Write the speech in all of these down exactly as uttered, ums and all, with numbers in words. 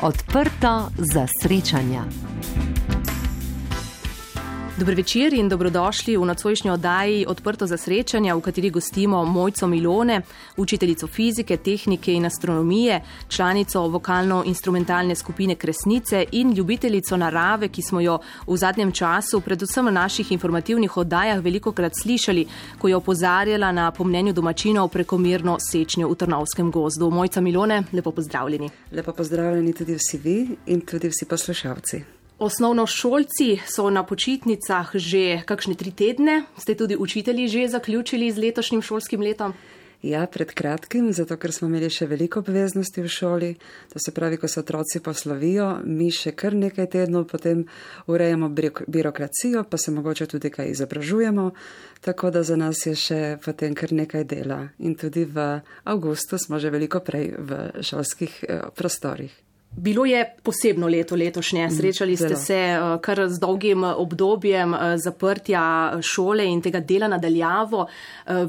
Odprto za srečanja. Dober večer in dobrodošli v nocojšnji oddaji Odprto za srečanja, v kateri gostimo Mojco Milone, učiteljico fizike, tehnike in astronomije, članico vokalno-instrumentalne skupine Kresnice in ljubiteljico narave, ki smo jo v zadnjem času, predvsem v naših informativnih oddajah, velikokrat slišali, ko je opozarjala na, po mnenju domačinov, prekomerno sečnjo v Trnovskem gozdu. Mojca Milone, lepo pozdravljeni. Lepo pozdravljeni tudi vsi vi in tudi vsi poslušalci. Osnovnošolci so na počitnicah že kakšne tri tedne. Ste tudi učitelji že zaključili z letošnjim šolskim letom? Ja, pred kratkim, zato ker smo imeli še veliko obveznosti v šoli. To se pravi, ko se otroci poslovijo, mi še kar nekaj tednov potem urejamo birokracijo, pa se mogoče tudi kaj izobražujemo. Tako da za nas je še potem kar nekaj dela. In tudi v avgustu smo že veliko prej v šolskih prostorih. Bilo je posebno leto letošnje. Srečali ste se kar z dolgim obdobjem zaprtja šole in tega dela nadaljavo.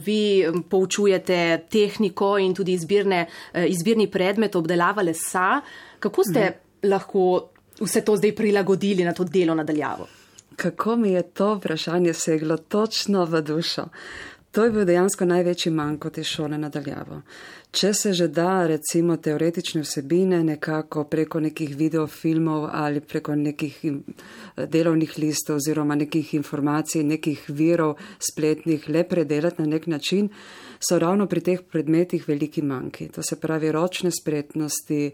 Vi poučujete tehniko in tudi izbirne, izbirni predmet obdelava lesa. Kako ste mm. lahko vse to zdaj prilagodili na to delo nadaljavo? Kako mi je to vprašanje seglo točno v dušo? To je bil dejansko največji manjko te šole nadaljavo. Če se že da, recimo, teoretične vsebine nekako preko nekih videofilmov ali preko nekih delovnih listov oziroma nekih informacij, nekih virov spletnih le predelati na nek način, so ravno pri teh predmetih veliki manjki. To se pravi ročne spretnosti,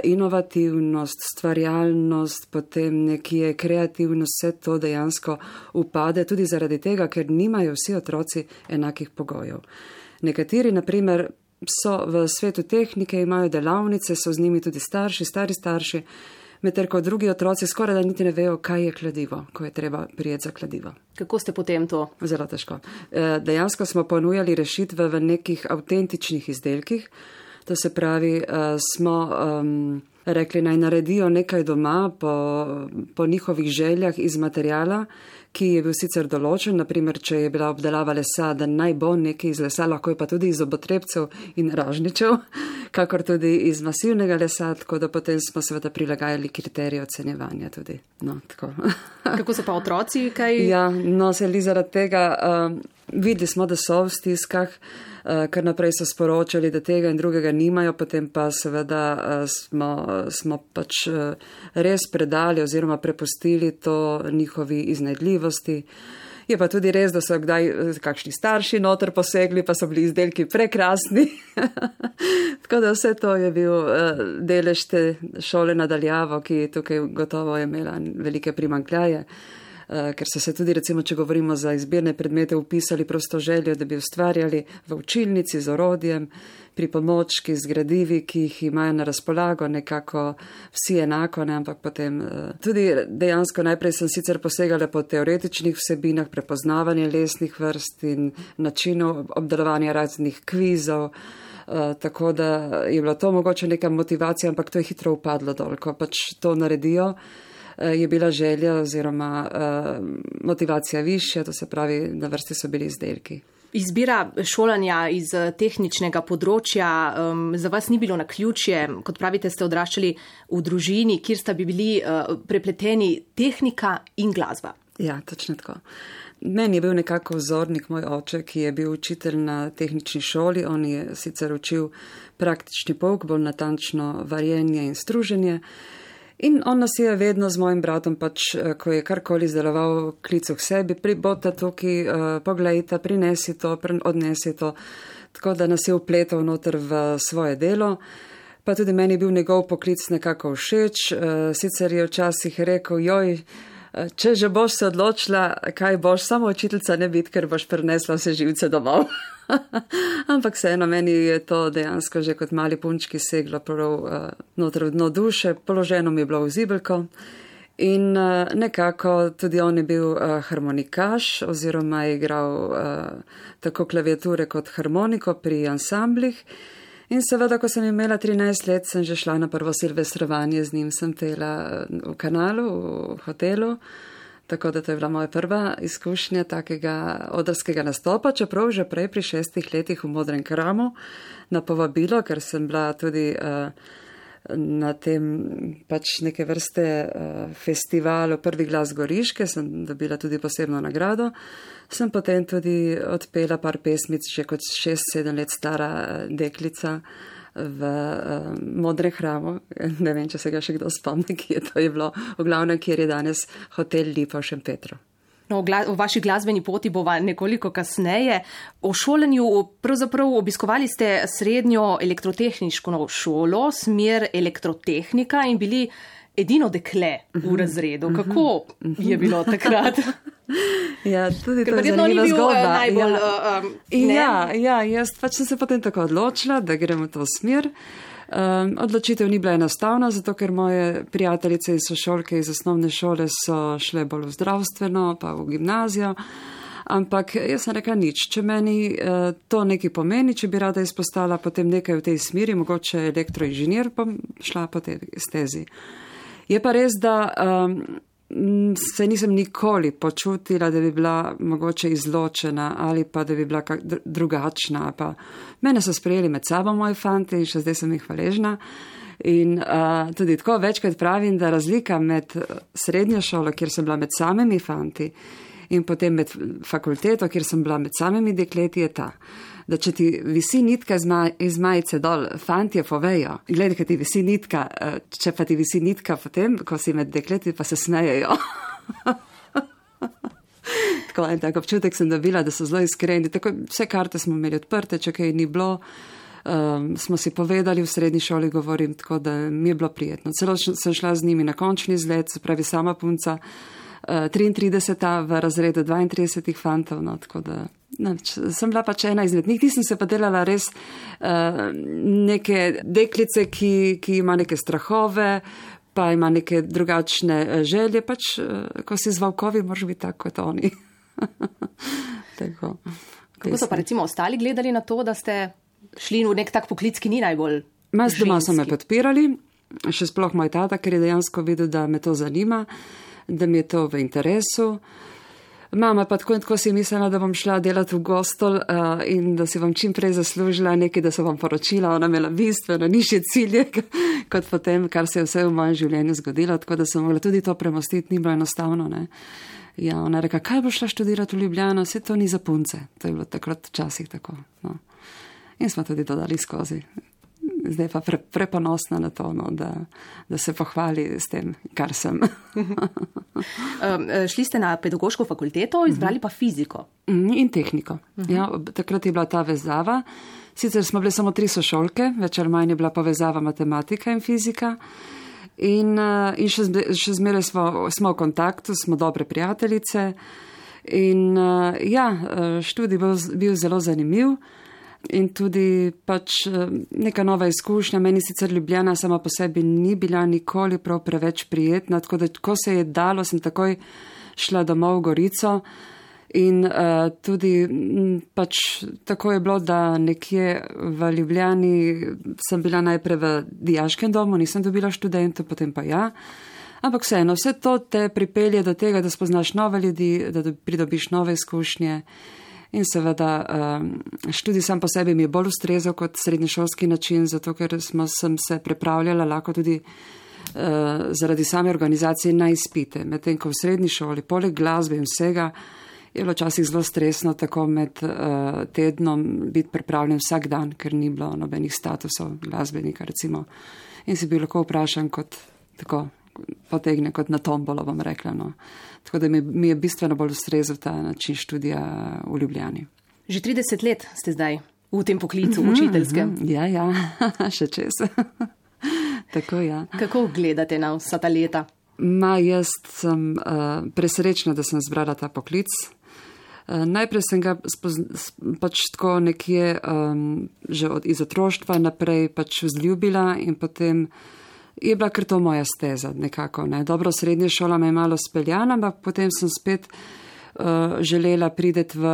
inovativnost, stvarjalnost, potem nekje kreativnost, vse to dejansko upade tudi zaradi tega, ker nimajo vsi otroci enakih pogojev. Nekateri, na primer, so v svetu tehnike, imajo delavnice, so z njimi tudi starši, stari starši, medtem ko drugi otroci skoraj da niti ne vejo, kaj je kladivo, ko je treba prijeti za kladivo. Kako ste potem to? Zelo težko. Dejansko smo ponujali rešitve v nekih avtentičnih izdelkih, to se pravi, smo um, rekli, naj naredijo nekaj doma po, po njihovih željah iz materijala, ki je bil sicer določen, naprimer, če je bila obdelava lesa, da naj bo nekaj iz lesa, lahko je pa tudi iz obotrebcev in ražničev, kakor tudi iz masivnega lesa, tako da potem smo seveda prilagajali kriterije ocenjevanja tudi. No, tako. Kako so pa otroci? Kaj? Ja, no, se li zaradi tega, um, videli smo, da so v stiskah, uh, kar naprej so sporočali, da tega in drugega nimajo, potem pa seveda uh, smo, smo pač uh, res predali oziroma prepustili to njihovi iznajdljivosti. Je pa tudi res, da so kdaj kakšni starši noter posegli, pa so bili izdelki prekrasni. Tako da vse to je bil uh, delež te šole nadaljavo, ki tukaj gotovo je imela velike primanjkljaje. Ker so se tudi, recimo, če govorimo za izbirne predmete, upisali prosto željo, da bi ustvarjali v učilnici z orodjem, pri pomočki, z gradivi, ki jih imajo na razpolago, nekako vsi enako, ne, ampak potem tudi dejansko najprej sem sicer posegala po teoretičnih vsebinah, prepoznavanje lesnih vrst in načinov obdelovanja raznih kvizov, tako da je bila to mogoče neka motivacija, ampak to je hitro upadlo dol, ko pač to naredijo. Je bila želja oziroma uh, motivacija višja, to se pravi, na vrsti so bili izdelki. Izbira šolanja iz tehničnega področja um, za vas ni bilo naključje. Kot pravite, ste odraščali v družini, kjer sta bi bili uh, prepleteni tehnika in glasba. Ja, točno tako. Meni je bil nekako vzornik moj oče, ki je bil učitelj na tehnični šoli. On je sicer učil praktični pouk, bolj natančno varjenje in struženje. In on nas je vedno z mojim bratom, pač, ko je karkoli izdeloval, klical k sebi, pribota tukaj, uh, poglejta, prinesi to, odnesi to, tako da nas je upletal noter v svoje delo. Pa tudi meni je bil njegov poklic nekako všeč, uh, sicer je včasih rekel, joj, če že boš se odločila, kaj boš, samo učiteljica ne biti, ker boš prinesla vse živce domov. Ampak vseeno, meni je to dejansko že kot mali punčki seglo prav uh, noter v dno duše, položeno mi je bilo v zibelko in uh, nekako tudi on je bil uh, harmonikaš oziroma je igral uh, tako klaviature kot harmoniko pri ansamblih. In seveda, ko sem imela trinajst let, sem že šla na prvo silvestrovanje, z njim sem pela v kanalu, v hotelu. Tako da to je bila moja prva izkušnja takega odrskega nastopa, čeprav že prej pri šestih letih v Modrem Kramu na povabilo, ker sem bila tudi uh, na tem pač neke vrste uh, festivalu Prvi glas Goriške, sem dobila tudi posebno nagrado. Sem potem tudi odpela par pesmic, že kot šest sedem let stara deklica v uh, Modrem hramu. Ne vem, če se ga še kdo spomni, ki je to je bilo v glavnem, kjer je danes hotel Lipa v Šempetru. No, v vaši glasbeni poti bova nekoliko kasneje. O šolanju pravzaprav obiskovali ste srednjo elektrotehniško šolo, smer elektrotehnika in bili edino dekle v razredu. Kako je bilo takrat? Ja, tudi to je zanimiva zgodba. Najbolj, ja. Um, ja, ja, jaz pač sem se potem tako odločila, da gremo v to smer. Um, odločitev ni bila enostavna, zato ker moje prijateljice in sošolke iz osnovne šole so šle bolj v zdravstveno, pa v gimnazijo. Ampak jaz sem rekla nič, če meni uh, to nekaj pomeni, če bi rada izpostala potem nekaj v tej smeri, mogoče elektroinženir, pa šla po tej stezi. Je pa res, da um, se nisem nikoli počutila, da bi bila mogoče izločena ali pa da bi bila kak drugačna. Pa mene so sprejeli med sabo moji fanti in še zdaj sem jih hvaležna. In uh, tudi tako večkrat pravim, da razlika med srednjo šolo, kjer sem bila med samimi fanti, in potem med fakulteto, kjer sem bila med samimi dekleti, je ta, da če ti visi nitka iz, maj, iz majice dol, fantje povejo, gledaj, kaj ti visi nitka, če pa ti visi nitka potem, ko si med dekleti, pa se smejejo. Tako en tak občutek sem dobila, da so zelo iskreni. Tako, vse karte smo imeli odprte, če kaj ni bilo, um, smo si povedali v srednji šoli, govorim, tako da mi je bilo prijetno. Celo sem šla z njimi na končni izlet, se pravi sama punca, uh, triintrideseta v razredu dvaintridesetih fantov, no, tako da ne, sem bila pač ena izmed njih. Nisem se pa delala res uh, neke deklice, ki, ki ima neke strahove, pa ima neke drugačne želje, pač, ko si z valkovi, moraš biti tako kot oni. Tako. Kako so pa recimo ostali gledali na to, da ste šli v nek tak poklic, ki ni najbolj Mas doma so me podpirali, še sploh moj tata, ker je dejansko videl, da me to zanima, da mi je to v interesu. Mama pa tako in tako si mislila, da bom šla delati v Gostol uh, in da si bom čim prej zaslužila nekaj, da se bom poročila. Ona imela bistveno nižje cilje kot potem, kar se je vse v mojem življenju zgodilo, tako da sem mogla tudi to premostiti, ni bilo enostavno. Ne? Ja, ona reka, kaj bo šla študirati v Ljubljano, vse to ni za punce. To je bilo takrat včasih tako. No. In smo tudi dodali skozi. Zdaj pa pre, preponosna na to, no, da, da se pohvali s tem, kar sem. um, šli ste na pedagoško fakulteto, izbrali pa fiziko. In tehniko. Uh-huh. Ja, takrat je bila ta vezava. Sicer smo bile samo tri sošolke, več ali manj je bila povezava matematika in fizika. In, in še, še zmeraj smo, smo v kontaktu, smo dobre prijateljice. In ja, študij bil, bil zelo zanimiv. In tudi pač neka nova izkušnja. Meni sicer Ljubljana sama po sebi ni bila nikoli prav preveč prijetna, tako da ko se je dalo, sem takoj šla domov v Gorico in uh, tudi m, pač tako je bilo, da nekje v Ljubljani sem bila najprej v dijaškem domu, nisem dobila študentov, potem pa ja. Ampak vseeno, vse to te pripelje do tega, da spoznaš nove ljudi, da pridobiš nove izkušnje. In seveda študij sam po sebi mi je bolj ustrezal kot srednješolski način, zato ker smo, sem se pripravljala lahko tudi uh, zaradi same organizacije na izpite. Medtem ko v srednji šoli, poleg glasbe in vsega, je bilo včasih zelo stresno tako med uh, tednom biti pripravljen vsak dan, ker ni bilo nobenih statusov glasbenika recimo. In si bil lahko vprašan kot tako potegne kot na tombolo, bom rekla. No. Tako da mi, mi je bistveno bolj ustrezal ta način študija v Ljubljani. Že trideset let ste zdaj v tem poklicu, mm-hmm, učiteljskem. Ja, ja, še čez. Tako, ja. Kako gledate na vsa ta leta? Ma, jaz sem uh, presrečna, da sem zbrala ta poklic. Uh, najprej sem ga spozn- pač tako nekje um, že od, iz otroštva naprej pač vzljubila in potem je bila kar to moja steza nekako. Ne. Dobro, srednja šola me je malo speljana, ampak potem sem spet uh, želela prideti v,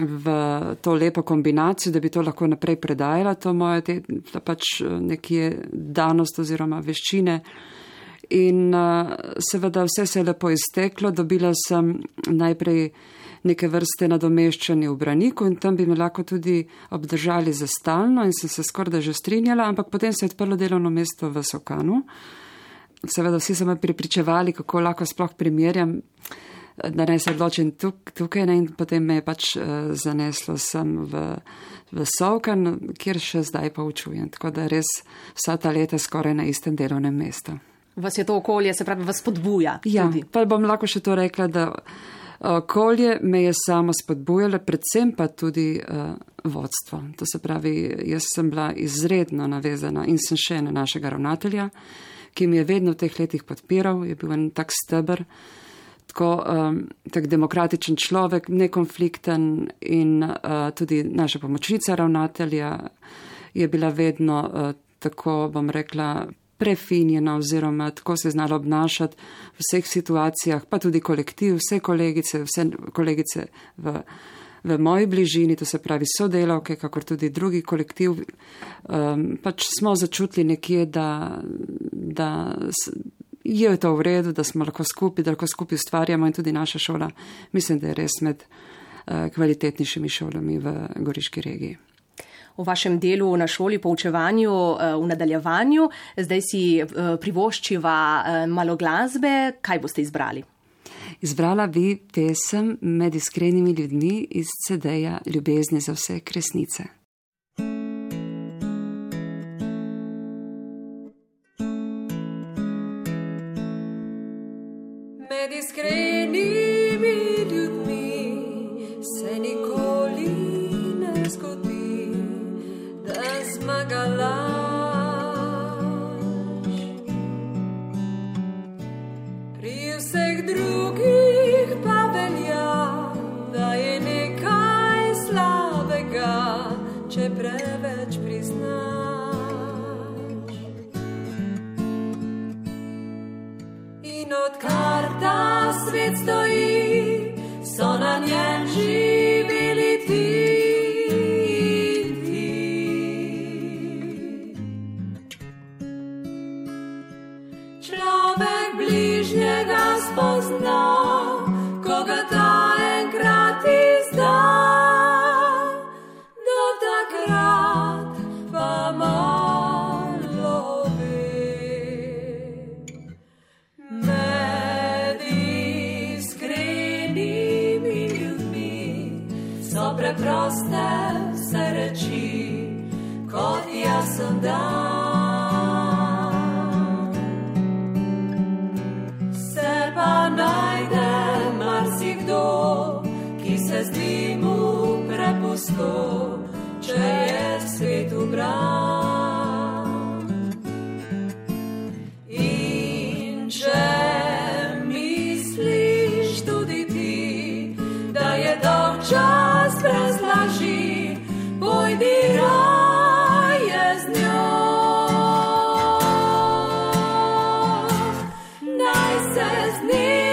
v to lepo kombinacijo, da bi to lahko naprej predajala, to moje te, pač nekje danost oziroma veščine. In uh, seveda vse se je lepo izteklo, dobila sem najprej neke vrste nadomeščanje v Braniku in tam bi me lahko tudi obdržali za stalno in sem se skoraj že strinjala, ampak potem se je odprlo delovno mesto v Sokanu. Seveda vsi so me pripričevali, kako lahko sploh primerjam, da naj se odločim tuk, tukaj ne, in potem me je pač uh, zaneslo sem v, v Sokan, kjer še zdaj poučujem. Tako da res vsa ta leta skoraj na istem delovnem mestu. Vas je to okolje, se pravi, vas spodbuja? Ja, tudi. Pa bom lahko še to rekla, da okolje me je samo spodbujalo, predvsem pa tudi uh, vodstvo. To se pravi, jaz sem bila izredno navezana in sem še na našega ravnatelja, ki mi je vedno v teh letih podpiral, je bil en tak steber, tako um, tak demokratičen človek, nekonflikten in uh, tudi naša pomočnica ravnatelja je bila vedno uh, tako, bom rekla, prefinjena oziroma tako se znala obnašati v vseh situacijah, pa tudi kolektiv, vse kolegice, vse kolegice v, v moji bližini, to se pravi sodelavke, kakor tudi drugi kolektiv, um, pač smo začutili nekje, da, da je to v redu, da smo lahko skupaj, da lahko skupaj ustvarjamo in tudi naša šola, mislim, da je res med uh, kvalitetnejšimi šolami v Goriški regiji. V vašem delu na šoli, poučevanju, v nadaljevanju. Zdaj si privoščiva malo glasbe. Kaj boste izbrali? Izbrala bi pesem Med iskrenimi ljudmi iz ce de-ja Ljubezni za vse kresnice. Med iskrenimi ljudmi se nikoli ne zgodi, da zmaga laž. Pri vseh drugih pa velja, da je nekaj slabega, če preveč priznaš. In odkar ta svet stoji, so na njem živeli ti. Človek bližnjega spozna, ko ga ta enkrat izda. Do takrat pa malo ve. Med iskrenimi ljudmi so preproste vse reči, kot jaz sem dan. Najde marsikdo, ki se zdi mu prepusto, če je svet ubran. In če misliš tudi ti, da je dolg čas brez laži, pojdi raje z njo. Naj se z njim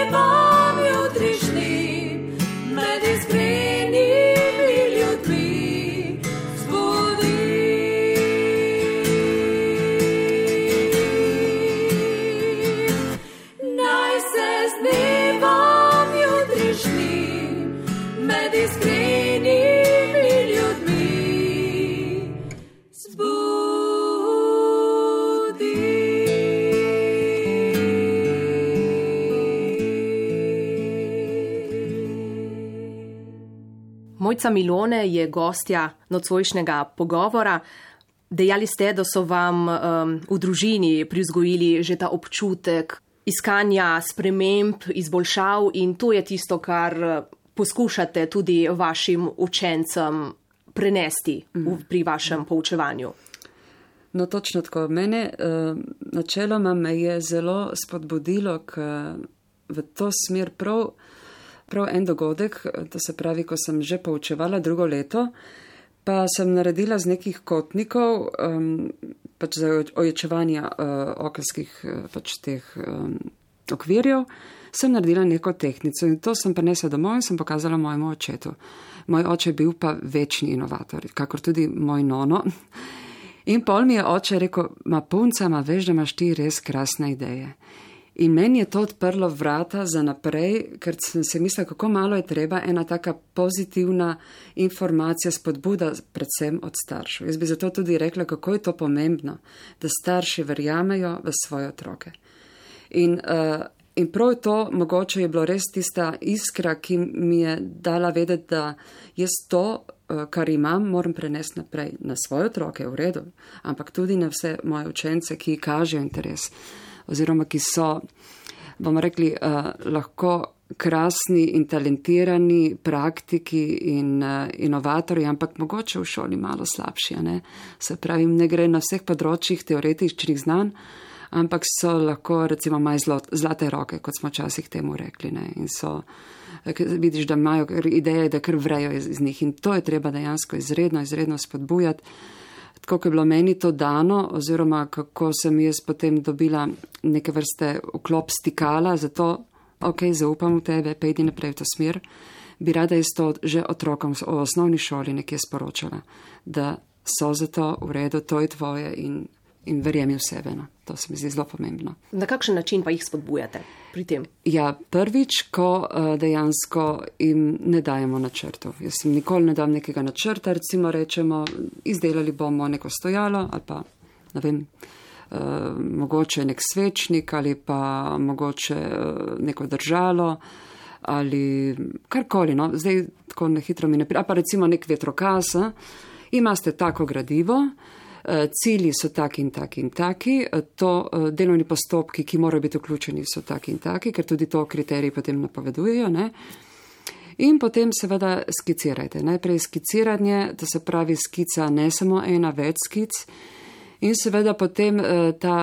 Mojca Milone je gostja nocojšnjega pogovora. Dejali ste, da so vam um, v družini privzgojili že ta občutek iskanja sprememb, izboljšav in to je tisto, kar poskušate tudi vašim učencem prenesti v, pri vašem poučevanju. No, točno tako. Mene uh, načeloma me je zelo spodbudilo k, v to smer prav Prav en dogodek, to se pravi, ko sem že poučevala drugo leto, pa sem naredila z nekih kotnikov, um, pač za oječevanje uh, okenskih pač teh um, okvirjev, sem naredila neko tehnico in to sem prinesla domov in sem pokazala mojemu očetu. Moj oče je bil pa večni inovator, kakor tudi moj nono. In pol mi je oče rekel, ma punca, ma veš, da imaš ti res krasne ideje. In meni je to odprlo vrata za naprej, ker sem se mislila, kako malo je treba ena taka pozitivna informacija, spodbuda predvsem od staršev. Jaz bi zato tudi rekla, kako je to pomembno, da starši verjamejo v svoje otroke. In, uh, in prav to mogoče je bilo res tista iskra, ki mi je dala vedeti, da jaz to, uh, kar imam, moram prenesti naprej na svoje otroke, v redu, ampak tudi na vse moje učence, ki kažejo interes. Oziroma, ki so, bomo rekli, uh, lahko krasni in talentirani praktiki in uh, inovatorji, ampak mogoče v šoli malo slabši. Ne? Se pravi, ne gre na vseh področjih teoretičnih znanj, ampak so lahko recimo maj zlate roke, kot smo včasih temu rekli. Ne? In so, vidiš, da imajo ideje, da kar vrejo iz, iz njih. In to je treba dejansko izredno, izredno spodbujati. Tako, ko je bilo meni to dano, oziroma kako sem jaz potem dobila neke vrste vklop stikala, zato, ok, zaupam v tebe, pejdi naprej v to smer, bi rada jaz to že otrokom v osnovni šoli nekje sporočala, da so za to v redu, to je tvoje in, in verjemi v sebe. No. To se mi zdi zelo pomembno. Na kakšen način pa jih spodbujate pri tem? Ja, prvič, ko uh, dejansko jim ne dajemo načrtov. Jaz jim nikoli ne dam nekega načrta, recimo rečemo, izdelali bomo neko stojalo ali pa, ne vem, uh, mogoče nek svečnik ali pa mogoče uh, neko držalo ali karkoli, no, zdaj tako na hitro mi ne pri... A pa recimo nek vetrokaz, imate tako gradivo, cilji so taki in taki in taki, to delovni postopki, ki morajo biti vključeni, so taki in taki, ker tudi to kriteriji potem napovedujejo, ne. In potem seveda skicirajte. Najprej skiciranje, to se pravi skica ne samo ena, več skic. In seveda potem ta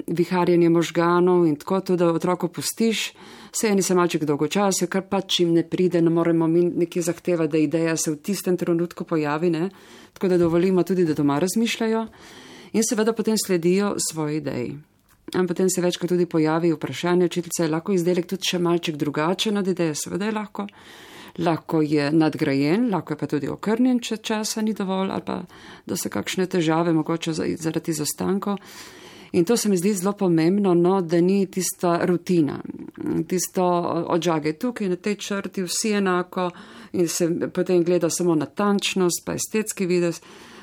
viharjenje možganov in tako, tudi da otroko pustiš, se eni se malček dolgočasijo, kar pač jim ne pride, ne moremo mi nekje zahtevati, da ideja se v tistem trenutku pojavi, ne? Tako da dovolimo tudi, da doma razmišljajo in seveda potem sledijo svoji ideji. In potem se večkrat tudi pojavi vprašanje, učiteljica, je lahko izdelek tudi še malček drugačen od ideje, seveda je lahko. Lahko je nadgrajen, lahko je pa tudi okrnjen, če časa ni dovolj ali pa da so kakšne težave, mogoče zaradi izostankov. In to se mi zdi zelo pomembno, no, da ni tista rutina, tisto odžage tukaj na tej črti, vsi enako in se potem gleda samo natančnost, pa estetski videz,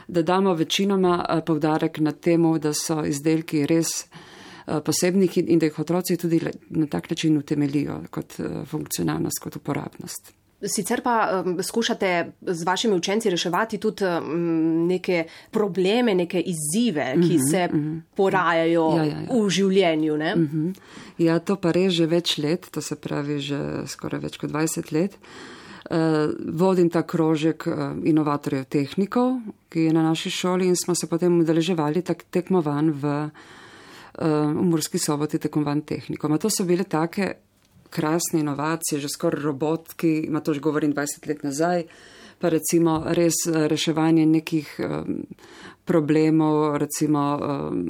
da damo večinoma poudarek na temu, da so izdelki res posebnih in da jih otroci tudi na tak način utemelijo kot funkcionalnost, kot uporabnost. Sicer pa um, skušate z vašimi učenci reševati tudi um, neke probleme, neke izzive, ki uh-huh, se uh-huh. porajajo ja, ja, ja. v življenju. Ne? Uh-huh. Ja, to pa res že več let, to se pravi že skoraj več kot dvajset let. Uh, vodim ta krožek uh, inovatorjev tehnikov, ki je na naši šoli in smo se potem udeleževali tak tekmovanj v, uh, v Murski Soboti tekmovanj tehnikom. A to so bile take krasne inovacije, že skoraj robotki, ima to že govorim dvajset let nazaj, pa recimo res reševanje nekih um, problemov, recimo um,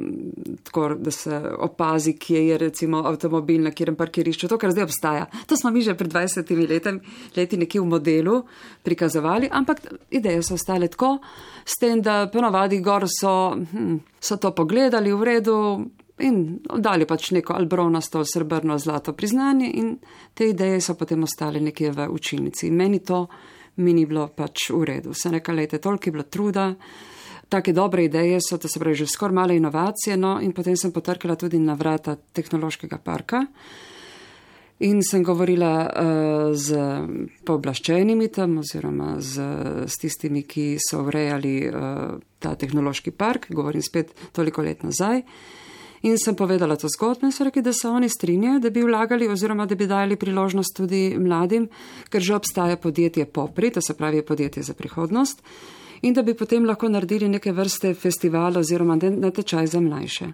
tako, da se opazi, kje je recimo avtomobil na kjerem parkirišču, to, kar zdaj obstaja. To smo mi že pred dvajsetimi letem, leti nekje v modelu prikazovali, ampak ideje so ostale tako, s tem, da ponovadi gor so, hm, so to pogledali v redu, in dali pač neko albronasto, srebrno, zlato priznanje in te ideje so potem ostale nekje v učilnici. In meni to mi ni bilo pač v redu. Sem rekla, lejte, toliko je bilo truda, take dobre ideje so, to se pravi že skoraj male inovacije, no in potem sem potrkala tudi na vrata tehnološkega parka in sem govorila uh, z pooblaščenimi tam oziroma z, z tistimi, ki so urejali uh, ta tehnološki park, govorim spet toliko let nazaj. In sem povedala to zgodbo in so rekli, da se oni strinjajo, da bi vlagali oziroma da bi dali priložnost tudi mladim, ker že obstaja podjetje Popri, to se pravi podjetje za prihodnost, in da bi potem lahko naredili neke vrste festivala oziroma natečaj za mlajše.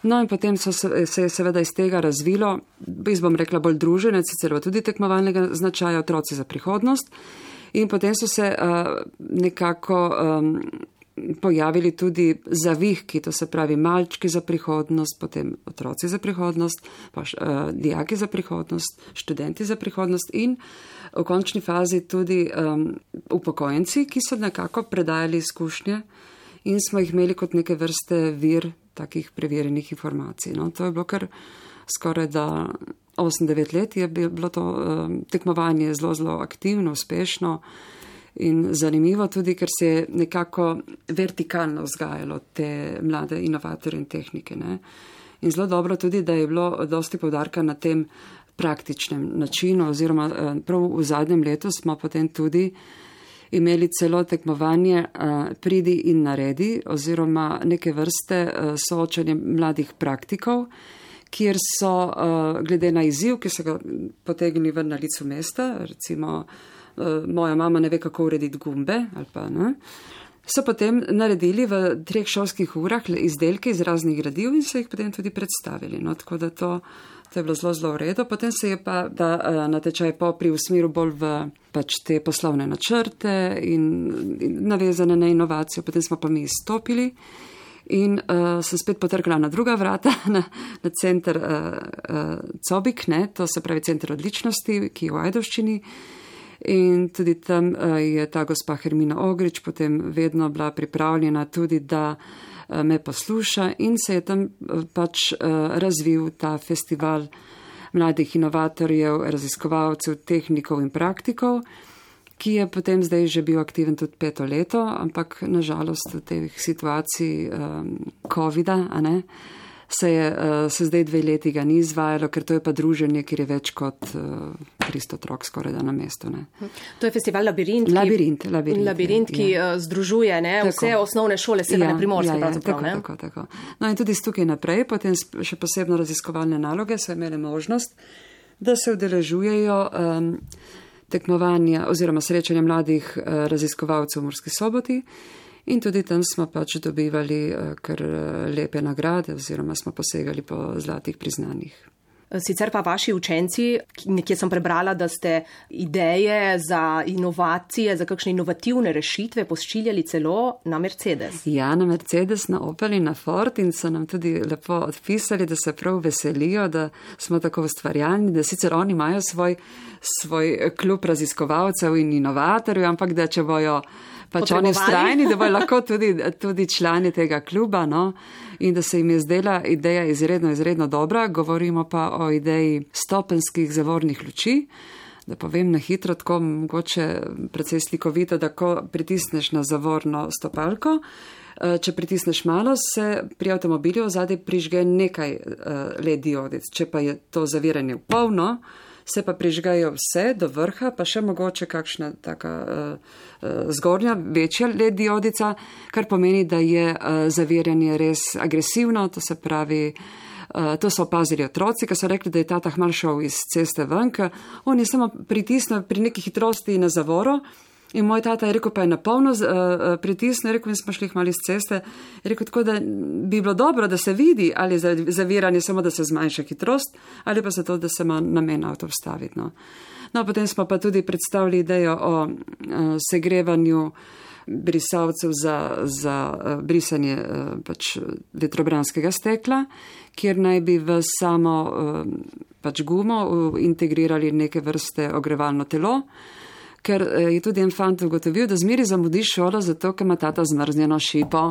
No in potem so se, se je seveda iz tega razvilo, jaz bom rekla bolj druženec, sicer tudi tekmovalnega značaja otroci za prihodnost in potem so se uh, nekako um, pojavili tudi zavihki, to se pravi malčki za prihodnost, potem otroci za prihodnost, pa uh, dijaki za prihodnost, študenti za prihodnost in v končni fazi tudi um, upokojenci, ki so nekako predajali izkušnje in smo jih imeli kot neke vrste vir takih preverjenih informacij. No, to je bilo kar skoraj da osem devet let je bilo to tekmovanje zelo, zelo aktivno, uspešno in zanimivo tudi, ker se je nekako vertikalno vzgajalo te mlade inovatorje in tehnike. Ne? In zelo dobro tudi, da je bilo dosti poudarka na tem praktičnem načinu, oziroma prav v zadnjem letu smo potem tudi imeli celo tekmovanje pridi in naredi, oziroma neke vrste soočanje mladih praktikov, kjer so glede na izziv, ki so ga potegnili ven na licu mesta, recimo moja mama ne ve, kako urediti gumbe, ali pa ne, so potem naredili v treh šolskih urah izdelke iz raznih gradiv in so jih potem tudi predstavili. No, tako da to, to je bilo zelo, zelo v redu. Potem se je pa ta natečaj popri v smeru bolj v pač te poslovne načrte in, in navezane na inovacijo. Potem smo pa mi izstopili in uh, sem spet potrkala na druga vrata, na, na center uh, uh, Cobik, ne, to se pravi center odličnosti, ki je v Ajdovščini. In tudi tam je ta gospa Hermina Ogrič potem vedno bila pripravljena tudi, da me posluša in se je tam pač razvil ta festival mladih inovatorjev, raziskovalcev, tehnikov in praktikov, ki je potem zdaj že bil aktiven tudi peto leto, ampak nažalost v teh situacij um, covida, a ne, se je uh, se zdaj dve leti ga ni izvajalo, ker to je pa druženje, kjer je več kot uh, tristo otrok skoraj da na mestu. Ne. To je festival Labirint, Labirint, ki, labirint, labirint, ki ja. združuje ne, vse osnovne šole Severne ja, Primorske. Ja, ja, tako, tako, tako. No in tudi tukaj naprej, potem še posebno raziskovalne naloge so imeli možnost, da se udeležujejo um, tekmovanja oziroma srečanja mladih uh, raziskovalcev v Murski Soboti. In tudi tam smo pač dobivali kar lepe nagrade oziroma smo posegali po zlatih priznanjih. Sicer pa vaši učenci, nekje sem prebrala, da ste ideje za inovacije, za kakšne inovativne rešitve pošiljali celo na Mercedes. Ja, na Mercedes, na Opel in na Ford in so nam tudi lepo odpisali, da se prav veselijo, da smo tako ustvarjalni, da sicer oni imajo svoj, svoj klub raziskovalcev in inovatorjev, ampak da če bojo pač oni vztrajni, da bojo lahko tudi, tudi člani tega kluba, no, in da se jim je zdela ideja izredno, izredno dobra. Govorimo pa o ideji stopenskih zavornih luči, da povem na hitro, tako mogoče precej slikovito, da ko pritisneš na zavorno stopalko, če pritisneš malo, se pri avtomobilju ozadje prižge nekaj L E D diodic. Če pa je to zaviranje v polno, se pa prižgajo vse do vrha, pa še mogoče kakšna taka uh, uh, zgornja, večja L E D diodica, kar pomeni, da je uh, zaviranje res agresivno, to se pravi, uh, to so opazili otroci, ki so rekli, da je tata hmal šel iz ceste ven, ker on je samo pritisnil pri neki hitrosti na zavoro in moj tata je rekel, pa je napolno uh, pritisnil, je rekel, in smo šli hmal iz ceste, je rekel, tako da bi bilo dobro, da se vidi, ali je zaviranje samo, da se zmanjša hitrost, ali pa se to, da se ima namen avto vstaviti. No. No, potem smo pa tudi predstavili idejo o uh, segrevanju brisalcev za, za uh, brisanje uh, pač vetrobranskega stekla, kjer naj bi v samo uh, pač gumo uh, integrirali neke vrste ogrevalno telo, ker je tudi en fant ugotovil, da zmeri zamudi šolo, zato ker ima tata zmrznjeno šipo.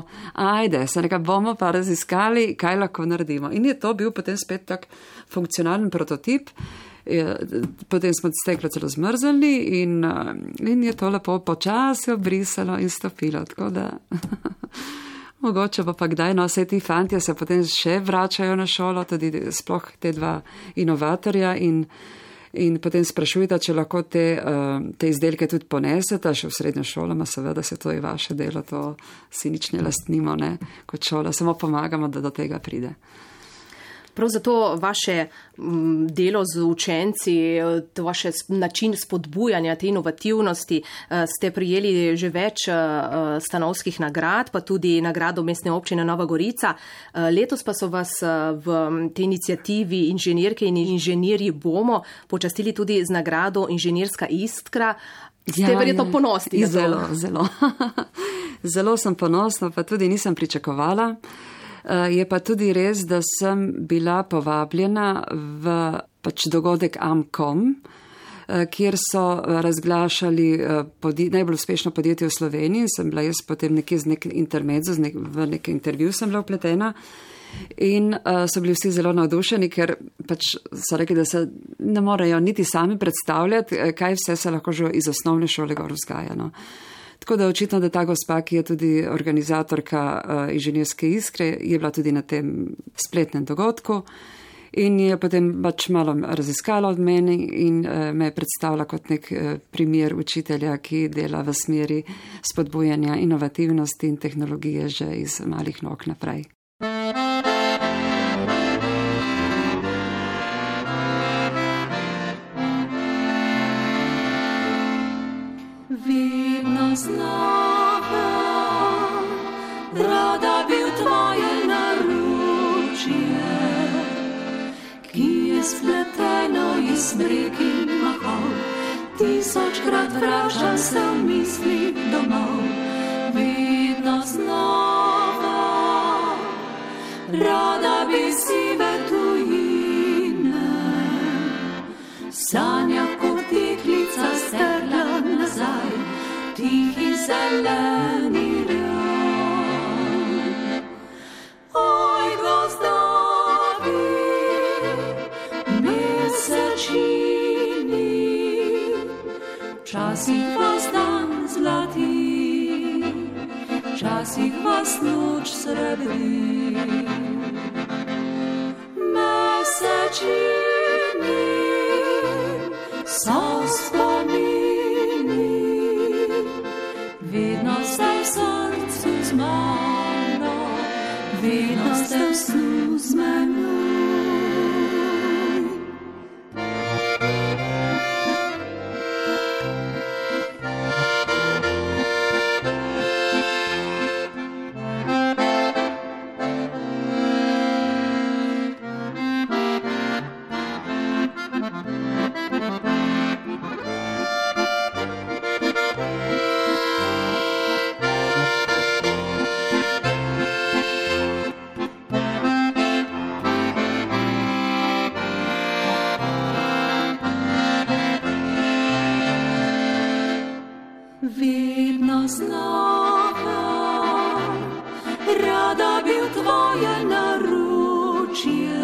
Ajde, se nekaj bomo pa raziskali, kaj lahko naredimo. In je to bil potem spet tak funkcionalen prototip. Potem smo steklo celo zmrzali in, in je to lepo počasi obrisalo in stopilo. Tako da mogoče pa pa kdaj, no, vse ti fantje se potem še vračajo na šolo, tudi sploh te dva inovatorja in In potem sprašujete, če lahko te, te izdelke tudi ponesete, še v srednjo šolo, ma seveda se to je vaše delo, to si nič ne lastnimo, ne, kot šola, samo pomagamo, da do tega pride. Prav zato vaše delo z učenci, to vaše način spodbujanja te inovativnosti, ste prijeli že več stanovskih nagrad, pa tudi nagrado Mestne občine Nova Gorica. Letos pa so vas v tej inicijativi Inženirke in inženirji bomo počastili tudi z nagrado Inženirska iskra. Ste ja, verjetno ponosni? Zelo, zelo. Zelo sem ponosna, pa tudi nisem pričakovala. Je pa tudi res, da sem bila povabljena v pač dogodek Amcom, kjer so razglašali podje, najbolj uspešno podjetje v Sloveniji. Sem bila jaz potem nekje z nek intermezzo, nek, v nek intervju sem bila vpletena. In uh, so bili vsi zelo navdušeni, ker pač so rekli, da se ne morejo niti sami predstavljati, kaj vse se lahko že iz osnovne šole gor vzgaja. No. Tako da očitno, da ta gospa, ki je tudi organizatorka uh, inženirske iskre, je bila tudi na tem spletnem dogodku in je potem pač malo raziskala od meni in uh, me je predstavila kot nek uh, primer učitelja, ki dela v smeri spodbujanja inovativnosti in tehnologije že iz malih nog naprej. Vedno znova, rada bi v tvoje naročje, ki je spleteno iz breg in mahov, tisočkrat vračam se v misli domov. Vedno znova, rada bi sive tujine, sanja kot deklica strla nazaj, tihi zeleni raj. Oj, gozdovi, mesečini, včasih vas dan zlati, včasih vas noč srebri. Mesečini so spomini, vedno ste v srcu z mano, vedno ste v snu z menoj. Vedno znova, rada bi v tvoje naročje,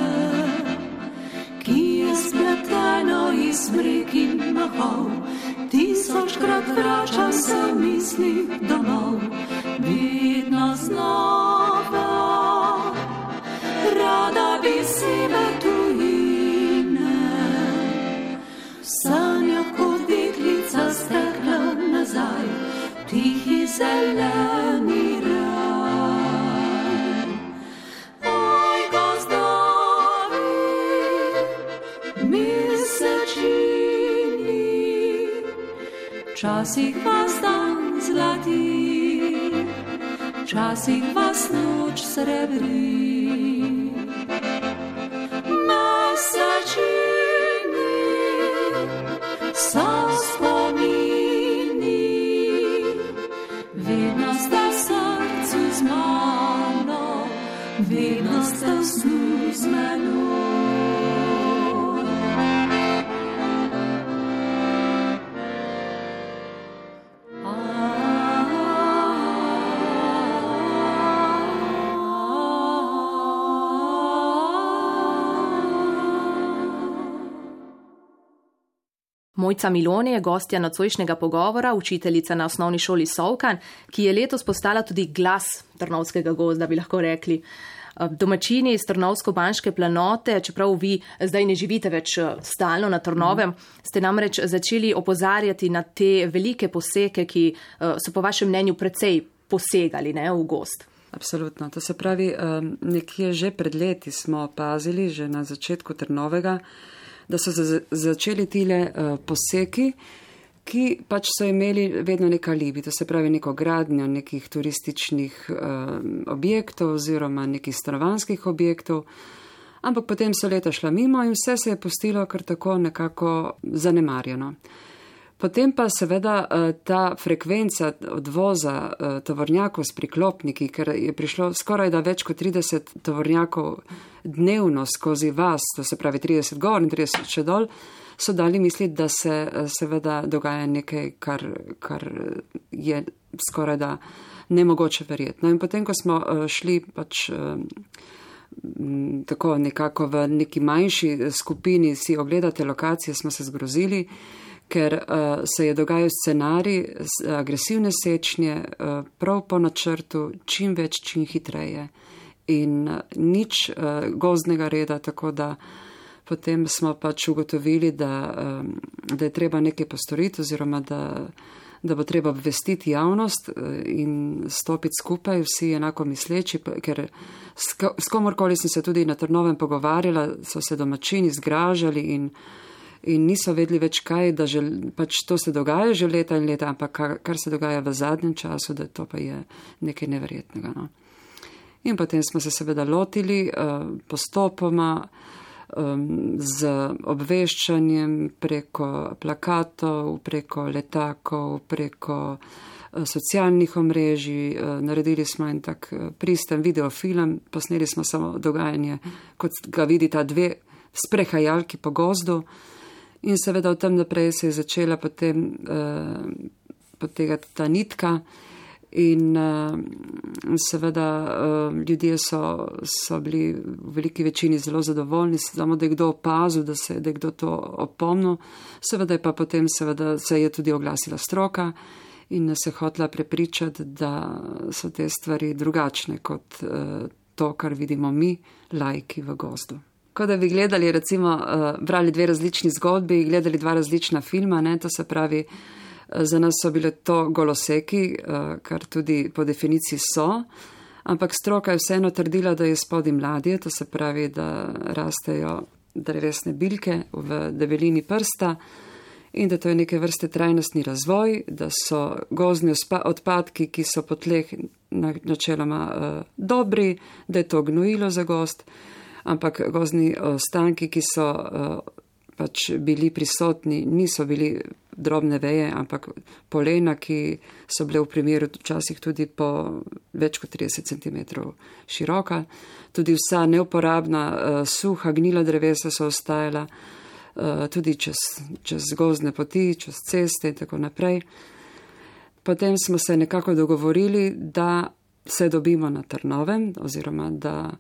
ki je spleteno iz breg in mahov, tisočkrat vračam se v misli domov. Vedno znova, rada bi sive tujine, v sanjah kot deklica stekla nazaj, tihi zeleni raj. Oj, gozdovi, mesečini, včasih vas dan zlati, včasih vas noč srebri. Mesečini so spomini, vedno ste v srcu z mano, vedno ste v snu z menoj. Mojca Milone je gostja nocojšnjega pogovora, učiteljica na osnovni šoli Solkan, ki je letos postala tudi glas Trnovskega gozda, bi lahko rekli. Domačini iz Trnovsko-Banške planote, čeprav vi zdaj ne živite več stalno na Trnovem, ste namreč začeli opozarjati na te velike poseke, ki so po vašem mnenju precej posegali, ne, v gozd. Absolutno. To se pravi, nekje že pred leti smo opazili, že na začetku Trnovega, da so začeli tile uh, poseki, ki pač so imeli vedno nek alibi, to se pravi neko gradnjo nekih turističnih uh, objektov oziroma nekih stanovanjskih objektov, ampak potem so leta šla mimo in vse se je pustilo kar tako nekako zanemarjeno. Potem pa seveda uh, ta frekvenca odvoza uh, tovornjakov s priklopniki, ker je prišlo skoraj da več kot trideset tovornjakov dnevno skozi vas, to se pravi trideset gor in trideset še dol, so dali misliti, da se seveda dogaja nekaj, kar, kar je skoraj da nemogoče verjetno. In potem, ko smo šli pač tako nekako v neki manjši skupini si ogledate lokacije, smo se zgrozili, ker uh, se je dogajal scenarij agresivne sečnje uh, prav po načrtu, čim več, čim hitreje in uh, nič uh, gozdnega reda, tako da potem smo pač ugotovili, da, um, da je treba nekaj postoriti oziroma da, da bo treba obvestiti javnost in stopiti skupaj, vsi enako misleči, ker s komorkoli sem se tudi na Trnovem pogovarjala, so se domačini zgražali in In niso vedeli več kaj, da že, pač to se dogaja že leta in leta, ampak kar, kar se dogaja v zadnjem času, da to pa je nekaj neverjetnega. No. In potem smo se seveda lotili uh, postopoma um, z obveščanjem preko plakatov, preko letakov, preko uh, socialnih omrežij. Uh, naredili smo en tak uh, pristen videofilm, posneli smo samo dogajanje, kot ga vidita dve sprehajalki po gozdu. In seveda v tem naprej se je začela potem uh, potegati ta nitka in uh, seveda uh, ljudje so, so bili v veliki večini zelo zadovoljni, samo da je kdo opazil, da, se, da je kdo to opomnil. Seveda je pa potem seveda se je tudi oglasila stroka in nas je hotela prepričati, da so te stvari drugačne kot uh, to, kar vidimo mi, laiki v gozdu. Ko da bi gledali, recimo, brali dve različni zgodbi, gledali dva različna filma, ne, to se pravi, za nas so bile to goloseki, kar tudi po definiciji so, ampak stroka je vseeno trdila, da je spodaj mladje, to se pravi, da rastejo drevesne bilke v debelini prsta in da to je neke vrste trajnostni razvoj, da so gozdni odpadki, ki so po tleh načeloma dobri, da je to gnojilo za gozd, ampak gozdni ostanki, ki so uh, pač bili prisotni, niso bili drobne veje, ampak polena, ki so bile v primeru včasih tudi po več kot trideset centimetrov široka. Tudi vsa neuporabna uh, suha gnila drevesa so ostajala uh, tudi čez, čez gozdne poti, čez ceste in tako naprej. Potem smo se nekako dogovorili, da se dobimo na Trnovem oziroma da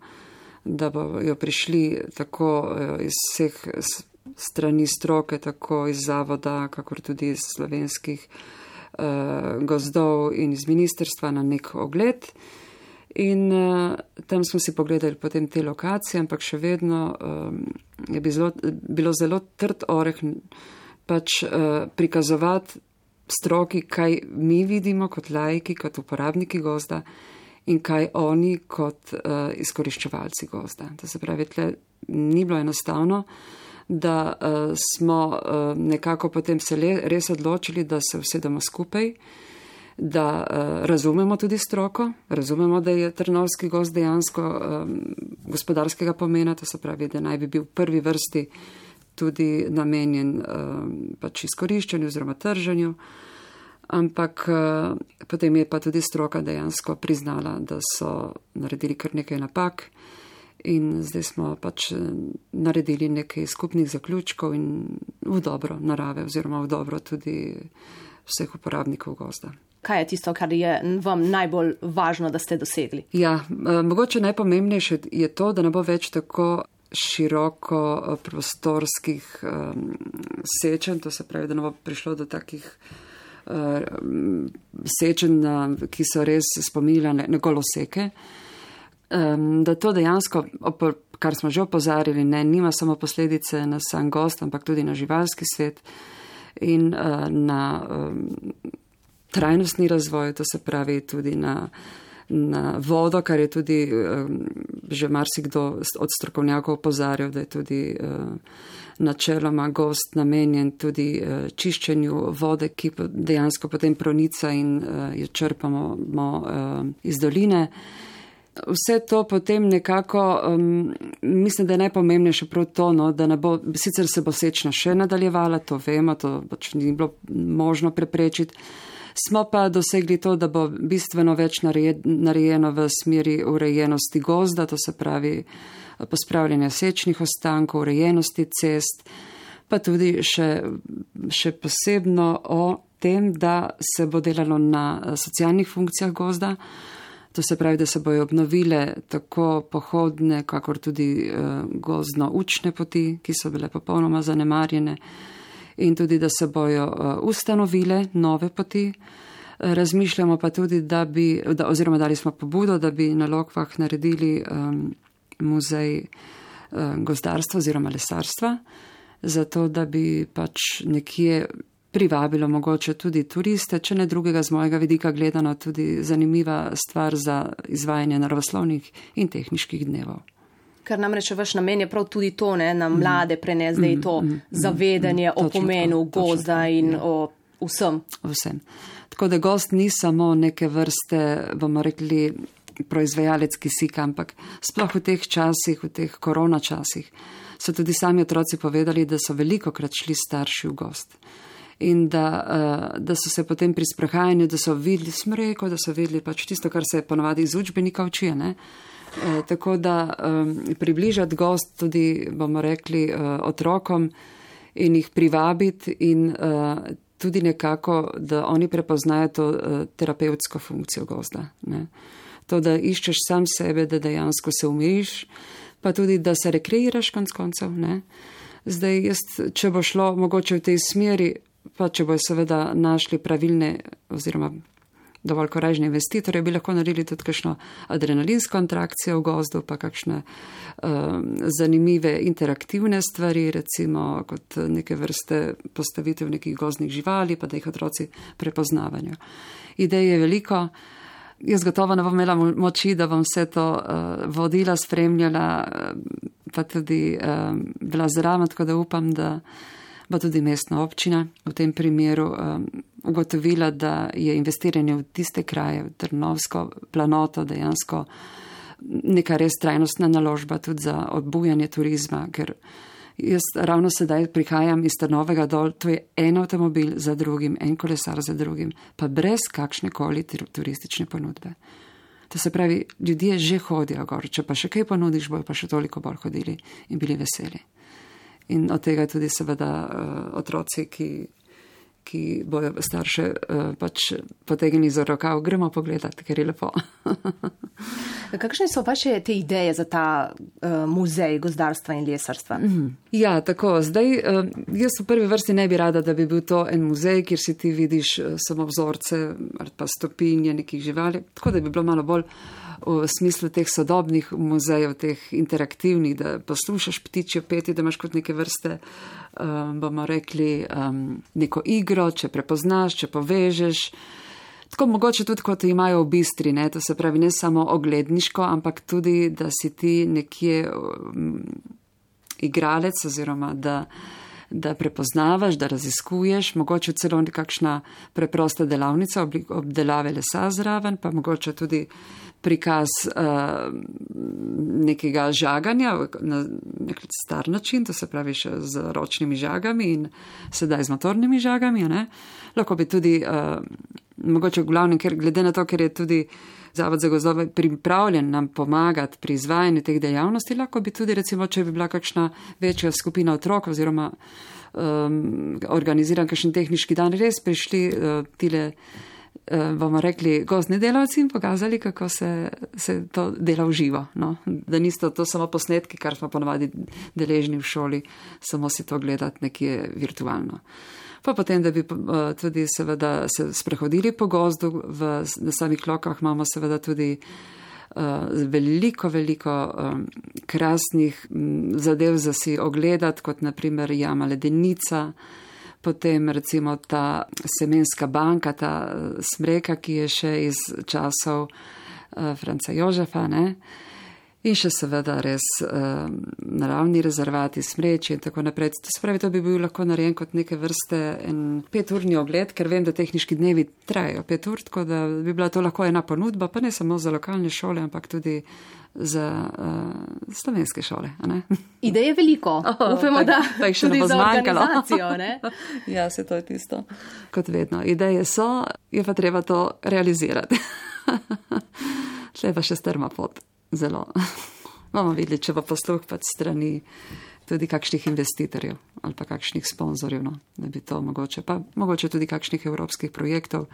da bojo prišli tako iz vseh strani stroke, tako iz zavoda, kakor tudi iz slovenskih uh, gozdov in iz ministrstva na nek ogled. In uh, tam smo si pogledali potem te lokacije, ampak še vedno um, je bilo, bilo zelo trd oreh pač uh, prikazovati stroki, kaj mi vidimo kot laiki, kot uporabniki gozda, in kaj oni kot uh, izkoriščevalci gozda. To se pravi, tle ni bilo enostavno, da uh, smo uh, nekako potem se le, res odločili, da se usedemo skupaj, da uh, razumemo tudi stroko, razumemo, da je Trnovski gozd dejansko um, gospodarskega pomena, to se pravi, da naj bi bil v prvi vrsti tudi namenjen um, pač izkoriščanju oziroma trženju. Ampak potem je pa tudi stroka dejansko priznala, da so naredili kar nekaj napak in zdaj smo pač naredili nekaj skupnih zaključkov in v dobro narave oziroma v dobro tudi vseh uporabnikov gozda. Kaj je tisto, kar je vam najbolj važno, da ste dosegli? Ja, mogoče najpomembnejše je to, da ne bo več tako široko prostorskih um, sečenj, to se pravi, da ne bo prišlo do takih sečen, ki so res spominjala na goloseke, da to dejansko, kar smo že opozarjali, ne, nima samo posledice na sam gost, ampak tudi na živalski svet in na trajnostni razvoj, to se pravi tudi na, na vodo, kar je tudi že marsikdo od strokovnjakov opozarjal, da je tudi načeloma gost namenjen tudi uh, čiščenju vode, ki dejansko potem pronica in uh, jo črpamo mo, uh, iz doline. Vse to potem nekako, um, mislim, da je najpomembnejše prav to, no, da ne bo, sicer se bo sečna še nadaljevala, to vemo, to pač ni bilo možno preprečiti. Smo pa dosegli to, da bo bistveno več narejeno v smeri urejenosti gozda, to se pravi pospravljanja sečnih ostankov, urejenosti cest, pa tudi še, še posebno o tem, da se bo delalo na socialnih funkcijah gozda. To se pravi, da se bojo obnovile tako pohodne, kakor tudi uh, gozdno-učne poti, ki so bile popolnoma zanemarjene, in tudi, da se bojo uh, ustanovile nove poti. Razmišljamo pa tudi, da bi, da, oziroma dali smo pobudo, da bi na Lokvah naredili um, muzej um, gozdarstva oziroma lesarstva, zato da bi pač nekje privabilo mogoče tudi turiste, če ne drugega z mojega vidika gledano tudi zanimiva stvar za izvajanje naravoslovnih in tehniških dnevov. Ker namreč vaš namen je prav tudi to, ne, na mlade prenesti, da je to mm, mm, zavedanje mm, o pomenu tako, gozda tako, in ja. o vsem. Vsem. Tako da gost ni samo neke vrste, bomo rekli, proizvajalec kisika, ampak sploh v teh časih, v teh korona časih, so tudi sami otroci povedali, da so veliko krat šli starši v gost. In da, uh, da so se potem pri sprehajanju, da so videli smreko, da so videli pač tisto, kar se ponavadi iz učbenika uči, ne. Uh, tako da um, približati gost tudi, bomo rekli, uh, otrokom in jih privabiti in uh, tudi nekako, da oni prepoznajo to uh, terapevtsko funkcijo gozda. Ne. To, da iščeš sam sebe, da dejansko se umiriš, pa tudi, da se rekreiraš konc koncev. Ne. Zdaj, jaz, če bo šlo mogoče v tej smeri, pa če bojo seveda našli pravilne oziroma dovolj koražne investitorje, bi lahko naredili tudi kakšno adrenalinsko interakcijo v gozdu, pa kakšne um, zanimive interaktivne stvari, recimo kot neke vrste postavitev nekih gozdnih živali, pa da jih otroci prepoznavajo. Idej je veliko. Jaz gotovo ne bom imela moči, da bom vse to uh, vodila, spremljala, pa tudi uh, bila zraven, tako da upam, da bo tudi mestna občina v tem primeru um, ugotovila, da je investiranje v tiste kraje, v Trnovsko planoto dejansko neka res trajnostna naložba tudi za odbujanje turizma, ker jaz ravno sedaj prihajam iz Trnovega dol, to je en avtomobil za drugim, en kolesar za drugim, pa brez kakšne koli turistične ponudbe. To se pravi, ljudje že hodijo gor, če pa še kaj ponudiš, bojo pa še toliko bolj hodili in bili veseli. In od tega tudi seveda uh, otroci, ki, ki bojo starše uh, pač potegnili za rokav, gremo pogledati, ker je lepo. Kakšne so vaše te ideje za ta uh, muzej gozdarstva in lesarstva? Mm. Ja, tako. Zdaj, uh, jaz v prvi vrsti ne bi rada, da bi bil to en muzej, kjer si ti vidiš uh, samo vzorce ali pa stopinje nekih živali, tako da bi bilo malo bolj v smislu teh sodobnih muzejev, teh interaktivnih, da poslušaš ptičje petje, da imaš kot neke vrste, um, bomo rekli, um, neko igro, če prepoznaš, če povežeš. Tako mogoče tudi, kot imajo v Bistri, ne? To se pravi ne samo ogledniško, ampak tudi, da si ti nekje um, igralec oziroma da, da prepoznavaš, da raziskuješ, mogoče celo nekakšna preprosta delavnica obdelave lesa zraven, pa mogoče tudi prikaz uh, nekega žaganja na nek star način, to se pravi še z ročnimi žagami in sedaj z motornimi žagami. Ne? Lahko bi tudi, uh, mogoče v glavnem, ker glede na to, ker je tudi Zavod za gozdove pripravljen nam pomagati pri izvajanju teh dejavnosti, lahko bi tudi, recimo, če bi bila kakšna večja skupina otrok oziroma um, organiziran kakšen tehniški dan, res prišli uh, tile bomo rekli, gozdni delavci in pokazali, kako se, se to dela v živo. No? Da niso to samo posnetki, kar smo ponovadi deležni v šoli, samo si to gledati nekje virtualno. Pa potem, da bi uh, tudi seveda se sprehodili po gozdu, v, na samih Lokvah imamo seveda tudi uh, veliko, veliko um, krasnih um, zadev za si ogledati, kot naprimer jama Ledenica, potem recimo ta semenska banka, ta smreka, ki je še iz časov uh, Franca Jožefa, ne? In še seveda res uh, naravni rezervati, smreči in tako naprej. To se pravi, to bi bil lahko narejen kot neke vrste en peturni ogled, ker vem, da tehniški dnevi trajajo pet ur, tako da bi bila to lahko ena ponudba, pa ne samo za lokalne šole, ampak tudi za uh, slovenske šole. A ne? Ideje je veliko. Oh, Upemo, da tak, tak tudi za organizacijo. Ne? Ja, se to je tisto. Kot vedno. Ideje so, je pa treba to realizirati. Tle pa še strma pot. Zelo. Bomo videli, če bo posluh pa strani tudi kakšnih investitorjev ali pa kakšnih sponzorjev, no, da bi to mogoče, pa mogoče tudi kakšnih evropskih projektov,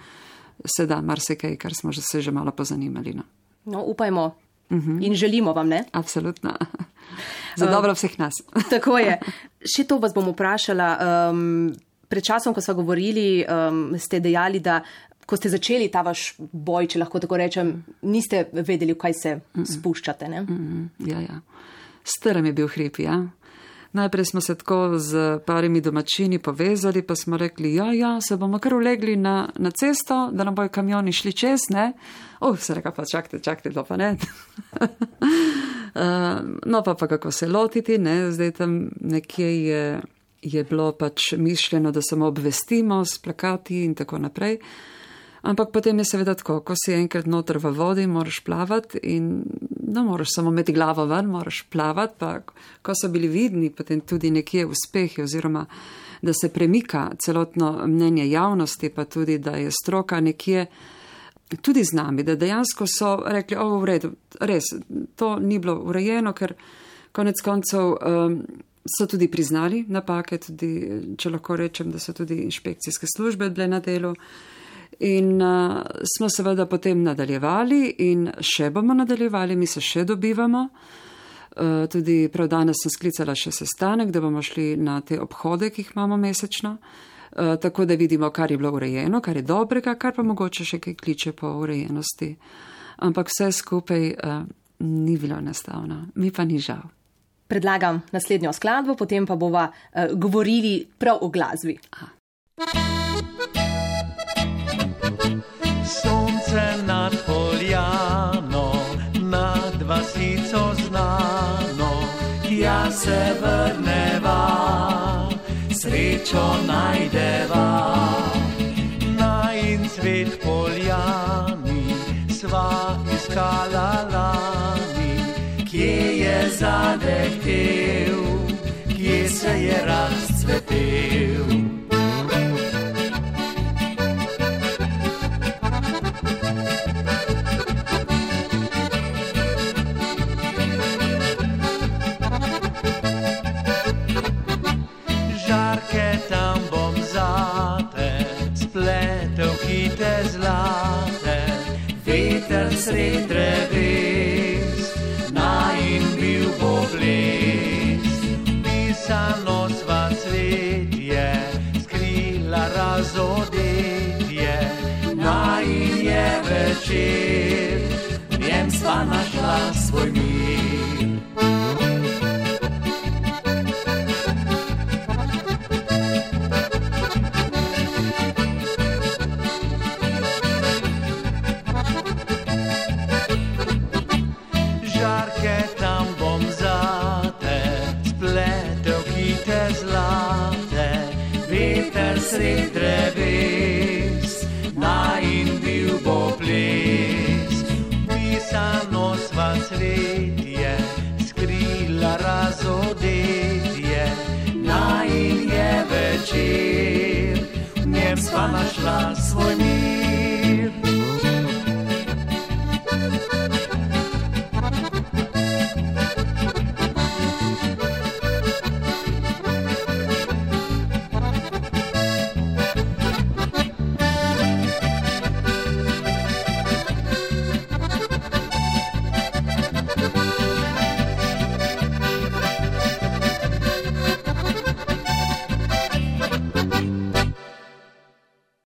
se da marsikaj, kar smo že se že malo pozanimali. No. No, upajmo uh-huh. in želimo vam, ne? Absolutno. Za dobro vseh nas. Tako je. Še to vas bom vprašala. Um, pred časom, ko sva govorili, um, ste dejali, da ko ste začeli ta vaš boj, če lahko tako rečem, niste vedeli, v kaj se uh-uh. spuščate, ne? Uh-uh. Ja, ja. Strm je bil hrib, ja. Najprej smo se tako z parimi domačini povezali, pa smo rekli, ja, ja, se bomo kar ulegli na, na cesto, da nam bojo kamioni šli čez, ne? Oh, se reka pa, čakajte, čakajte, to pa ne. uh, no pa pa kako se lotiti, ne? Zdaj tam nekje je, je bilo pač mišljeno, da samo obvestimo s plakati in tako naprej. Ampak potem je seveda tako, ko si enkrat noter v vodi, moraš plavati in no, moraš samo imeti glavo ven, moraš plavati, pa ko so bili vidni potem tudi nekje uspehi oziroma da se premika celotno mnenje javnosti, pa tudi, da je stroka nekje tudi z nami, da dejansko so rekli, ovo v redu, res, to ni bilo urejeno, ker konec koncev um, so tudi priznali napake, tudi, če lahko rečem, da so tudi inšpekcijske službe bile na delu. In uh, smo seveda potem nadaljevali in še bomo nadaljevali, mi se še dobivamo. Uh, tudi prav danes sem sklicala še sestanek, da bomo šli na te obhode, ki jih imamo mesečno, uh, tako da vidimo, kar je bilo urejeno, kar je dobrega, kar pa mogoče še kaj kliče po urejenosti. Ampak vse skupaj uh, ni bilo enostavno, mi pa ni žal. Predlagam naslednjo skladbo, potem pa bova uh, govorili prav o glasbi. Aha. Sonce nad poljano, nad vasico znano, ja se vrneva, srečo najdeva. Najin cvet poljani, sva iskala lani, kje je zadehtel, kje se je razcvetel. Sred dreves, najin bil bo ples, pisano sva cvetje, skrila razodetje, najin je večer, v njem sva našla svoj mir. Sred dreves, najin bil bo ples, pisano sva cvetje, skrila razodetje, najin je večer, v njem sva našla svoj mir.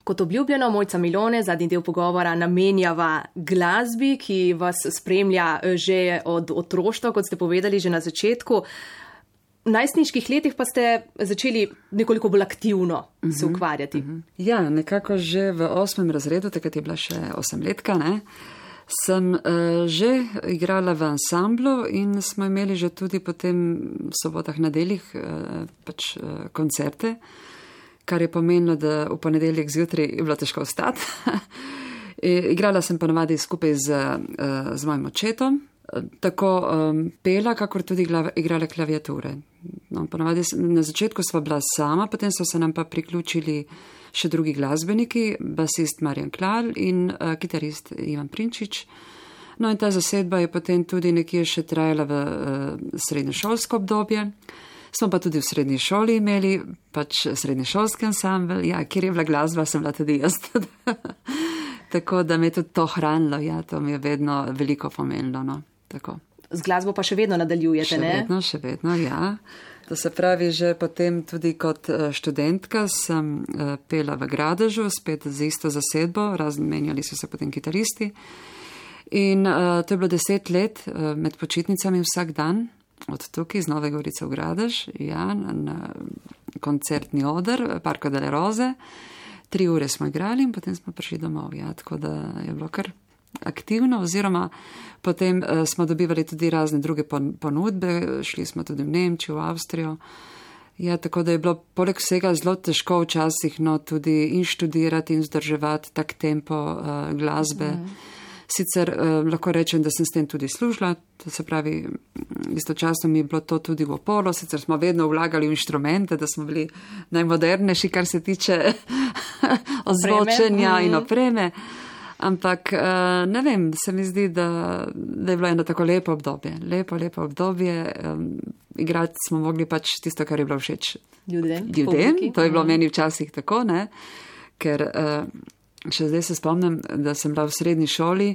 Kot obljubljeno, Mojca Milone, zadnji del pogovora namenjava glasbi, ki vas spremlja že od otroštva, kot ste povedali že na začetku. V najstniških letih pa ste začeli nekoliko bolj aktivno uh-huh, se ukvarjati. Uh-huh. Ja, nekako že v osmem razredu, takrat je bila še osemletka, ne, sem uh, že igrala v ansamblu in smo imeli že tudi potem v sobotah, nedeljih uh, pač uh, koncerte, kar je pomenilo, da v ponedeljek zjutraj je bilo težko vstati. Igrala sem ponavadi skupaj z, z mojim očetom, tako um, pela, kakor tudi igrala klaviature. No, ponavadi na začetku sva bila sama, potem so se nam pa priključili še drugi glasbeniki, basist Marjan Klal in uh, kitarist Ivan Prinčič. No in ta zasedba je potem tudi nekje še trajala v uh, srednješolsko obdobje. Smo pa tudi v srednji šoli imeli, pač srednješolski ansambl, ja, kjer je bila glasba, sem bila tudi jaz. Tako da me je tudi to hranilo, ja, to mi je vedno veliko pomenilo, no, tako. Z glasbo pa še vedno nadaljujete, še ne? Še vedno, še vedno, ja. To se pravi, že potem tudi kot študentka sem pela v Gradežu, spet z isto zasedbo, razmenjali so se potem kitaristi. In uh, to je bilo deset let uh, med počitnicami vsak dan, od tukaj iz Nove Gorice v Gradež, ja, na, na koncertni oder, Parco delle Rose. Tri ure smo igrali in potem smo prišli domov, ja, tako da je bilo kar aktivno, oziroma potem uh, smo dobivali tudi razne druge ponudbe, šli smo tudi v Nemčijo, v Avstrijo. Ja, tako da je bilo poleg vsega zelo težko včasih, no, tudi in študirati in vzdrževati tak tempo uh, glasbe. Mm. Sicer eh, lahko rečem, da sem s tem tudi služila, to se pravi, istočasno mi je bilo to tudi v oporo, sicer smo vedno vlagali v inštrumente, da smo bili najmodernejši, kar se tiče ozvočenja in opreme, ampak eh, ne vem, se mi zdi, da, da je bilo eno tako lepo obdobje, lepo, lepo obdobje, eh, igrati smo mogli pač tisto, kar je bilo všeč ljudem, ljudem. To je bilo meni včasih tako, ne, ker eh, še zdaj se spomnim, da sem bila v srednji šoli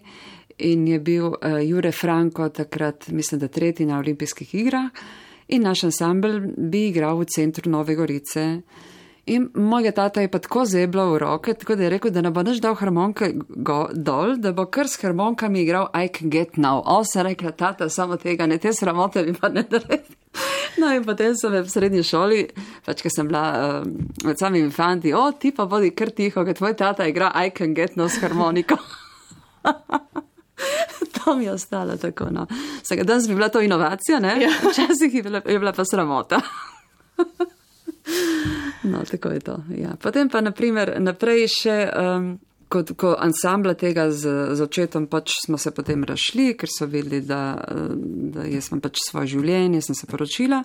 in je bil uh, Jure Franko takrat, mislim, da tretji na olimpijskih igrah in naš ansambl bi igral v centru Nove Gorice. In mojega tata je pa tako zebla v roke, tako da je rekel, da ne bo naš dal harmonke go, dol, da bo kar s harmonkami igral I Can Get Now. O, sem rekla, tata, samo tega, ne te sramote mi pa ne naredi. No in potem sem v srednji šoli, pač, ko sem bila uh, med samimi fanti, o, ti pa bodi kar tiho, ker tvoj tata igra I Can Get No s harmoniko. To mi je ostalo tako, no. Vsega danes bi bila to inovacija, ne? Ja. Včasih je bila, je bila pa sramota. No, tako je to, ja. Potem pa, naprimer, naprej še... Um, Kot, ko ansambla tega z, z očetom pač smo se potem razšli, ker so videli, da, da jaz sem pač svoje življenje, sem se poročila.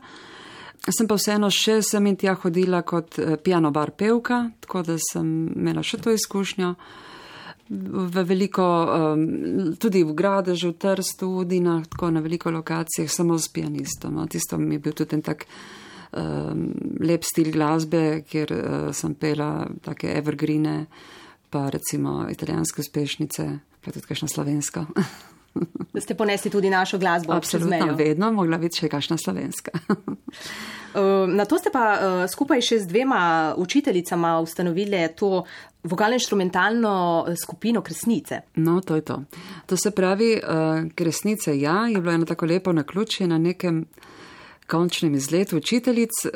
Sem pa vseeno še sem in tja hodila kot piano bar pevka, tako da sem imela še to izkušnjo. V veliko, tudi v Gradežu, v Trstu, v Udinah, tako na veliko lokacijah, samo s pianistom. No. Tisto mi je bil tudi en tak um, lep stil glasbe, kjer uh, sem pela take evergreene, pa recimo italijanske uspešnice, pa tudi kakšna slovenska. Da ste ponesli tudi našo glasbo. Absolutno, vedno mogla biti še kakšna slovenska. Na to ste pa skupaj še z dvema učiteljicama ustanovili to vokalno-inštrumentalno skupino Kresnice. No, to je to. To se pravi, Kresnice, ja, je bilo eno tako lepo naključje na nekem končnem izletu učiteljic.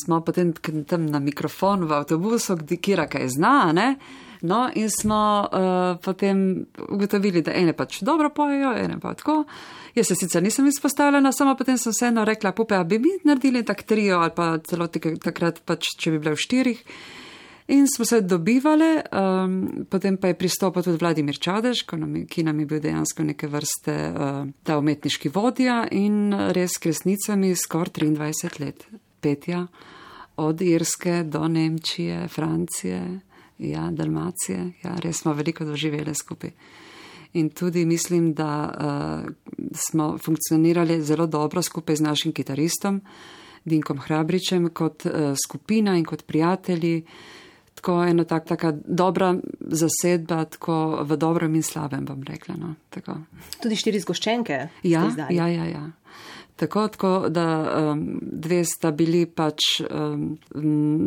Smo potem tam na mikrofon v avtobusu, kira kaj zna, ne? No, in smo uh, potem ugotovili, da ene pač dobro pojejo, ene pa tako. Jaz se sicer nisem izpostavljena, samo potem sem vseeno rekla, pupe, a bi mi naredili tak trio ali pa celo takrat pač, če bi bile v štirih. In smo se dobivali, um, potem pa je pristopil tudi Vladimir Čadež, ki nam je bil dejansko neke vrste uh, ta umetniški vodja in res Kresnicami skoraj triindvajset let petja, od Irske do Nemčije, Francije, ja, Dalmacije, ja, res smo veliko doživeli skupaj. In tudi mislim, da uh, smo funkcionirali zelo dobro skupaj z našim kitaristom, Dinkom Hrabričem, kot uh, skupina in kot prijatelji. Tako ena tak, taka dobra zasedba, tako v dobrem in slabem, bom rekla. No, tako. Tudi štiri zgoščenke? Ja, ja, ja, ja. Tako, tako, da um, dve sta bili pač um,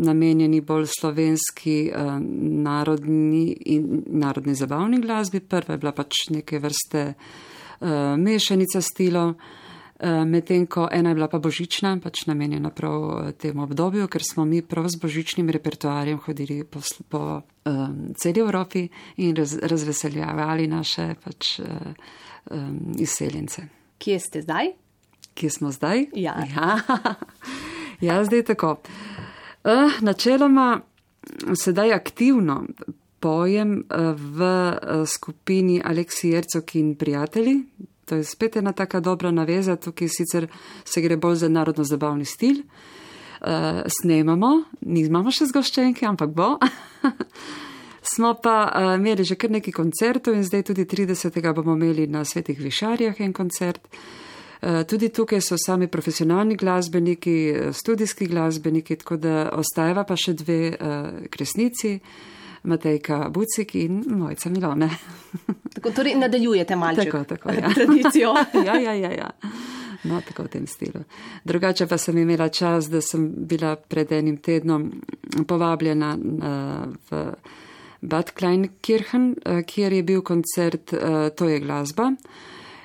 namenjeni bolj slovenski um, narodni in narodni zabavni glasbi. Prva je bila pač neke vrste uh, mešanica stilov, uh, medtem ko ena je bila pa božična, pač namenjena prav temu obdobju, ker smo mi prav z božičnim repertoarjem hodili po, po um, celi Evropi in raz, razveseljavali naše pač uh, um, izseljence. Kje ste zdaj? Kje smo zdaj? Ja. Ja, ja zdaj tako. Uh, načeloma sedaj aktivno pojem v skupini Aleksi Jercog in prijatelji. To je spet ena taka dobra naveza, tukaj sicer se gre bolj za narodno-zabavni stil. Uh, snemamo, nimamo še zgoščenke, ampak bo. Smo pa uh, imeli že kar nekaj koncertov in zdaj tudi tridesetega bomo imeli na Svetih Višarjah en koncert. Tudi tukaj so sami profesionalni glasbeniki, studijski glasbeniki, tako da ostajava pa še dve uh, Kresnici. Matejka Bucik in Mojca Milone. Tako, torej nadaljujete malček tako, tako, ja. tradicijo. ja, ja, ja, ja. No, tako v tem stilu. Drugače pa sem imela čas, da sem bila pred enim tednom povabljena uh, v Bad Kleinkirchen, uh, kjer je bil koncert uh, To je glasba.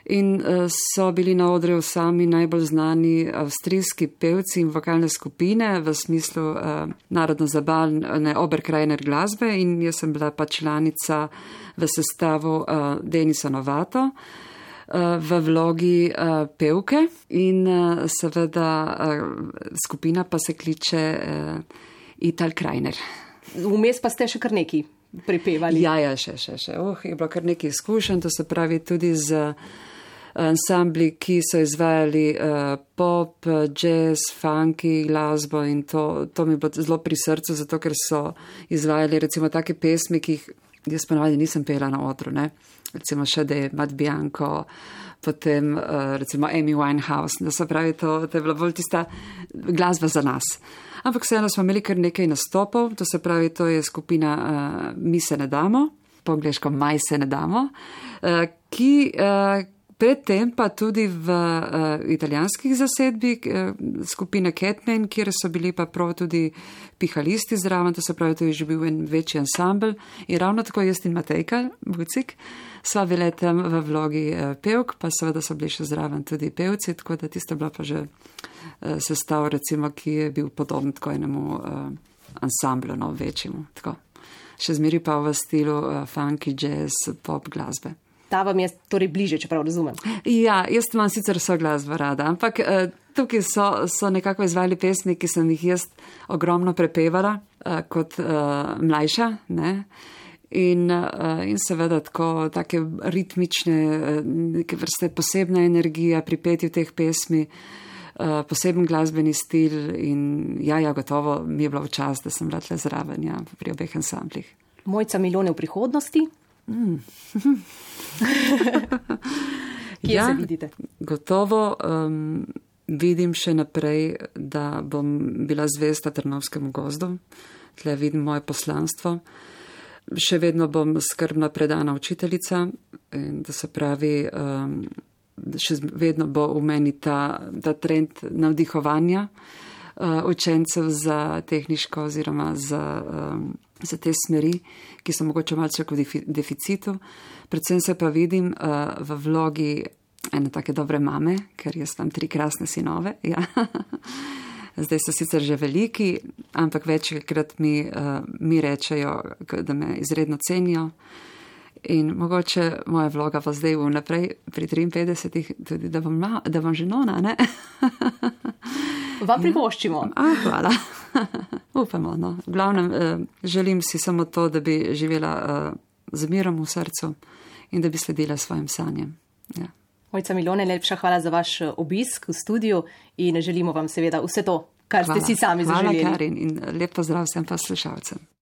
In so bili na odru sami najbolj znani avstrijski pevci in vokalne skupine v smislu uh, narodno-zabavne Oberkrainer glasbe in jaz sem bila pa članica v sestavu uh, Denisa Novato uh, v vlogi uh, pevke in uh, seveda uh, skupina pa se kliče uh, Italkrainer. Vmes pa ste še kar neki pripevali. Ja, ja, še, še, še. Oh, je bilo kar nekaj izkušenj, to se pravi tudi z ansambli, ki so izvajali uh, pop, jazz, funky, glasbo in to, to mi je bilo zelo pri srcu, zato ker so izvajali recimo take pesmi, ki jih jaz ponavadi nisem pela na odru, ne. Recimo še da je Matt Bianco, potem uh, recimo Amy Winehouse, da se pravi, to, to je bila bolj tista glasba za nas. Ampak vseeno smo imeli kar nekaj nastopov, to se pravi, to je skupina uh, Mi se ne damo, po angleško Maj se ne damo, uh, ki uh, predtem pa tudi v uh, italijanskih zasedbi uh, skupine Catman, kjer so bili pa prav tudi pihalisti zraven, to se pravi, to je že bil en večji ansambl. In ravno tako jaz in Matejka Bucik sva bile tam v vlogi uh, pevk, pa seveda so bili še zraven tudi pevci, tako da tisto bila pa že uh, sestav, recimo, ki je bil podoben tako enemu uh, ansamblu, no, večjemu. Tako. Še zmeri pa v stilu uh, funky, jazz, pop glasbe. Ta vam je torej bliže, čeprav razumem. Ja, jaz imam sicer vso glasbo rada, ampak uh, tukaj so, so nekako izvajali pesmi, ki sem jih jaz ogromno prepevala uh, kot uh, mlajša, ne. In, uh, in seveda tako, take ritmične, uh, neke vrste posebna energija pri petju teh pesmi, uh, poseben glasbeni stil in ja, ja, gotovo mi je bilo v čas, da sem bila tle zraven, ja, pri obeh ansamblih. Mojca Milone v prihodnosti? Mm. Kje ja, se vidite? Gotovo um, vidim še naprej, da bom bila zvesta Trnovskemu gozdu. Tle vidim moje poslanstvo. Še vedno bom skrbno predana učiteljica in da se pravi, um, še vedno bo v meni ta, ta trend navdihovanja uh, učencev za tehniško oziroma za, um, za te smeri, ki so mogoče malce v deficitu. Predvsem se pa vidim uh, v vlogi ene take dobre mame, ker jaz imam tri krasne sinove. Ja. Zdaj so sicer že veliki, ampak večkrat mi, uh, mi rečejo, da me izredno cenijo. In mogoče moja vloga pa zdaj vnaprej pri triinpetdesetih, tudi da bom, ma, da bom že nona, ne? Vam privoščimo. A, hvala. Upamo, no. V glavnem, uh, želim si samo to, da bi živela uh, z mirom v srcu in da bi sledila svojim sanjem. Ja. Mojca Milone, lepša hvala za vaš obisk v studiu in želimo vam seveda vse to, kar hvala. Ste si sami zaželeli. Hvala, Karin, in lep pozdrav vsem poslušalcem.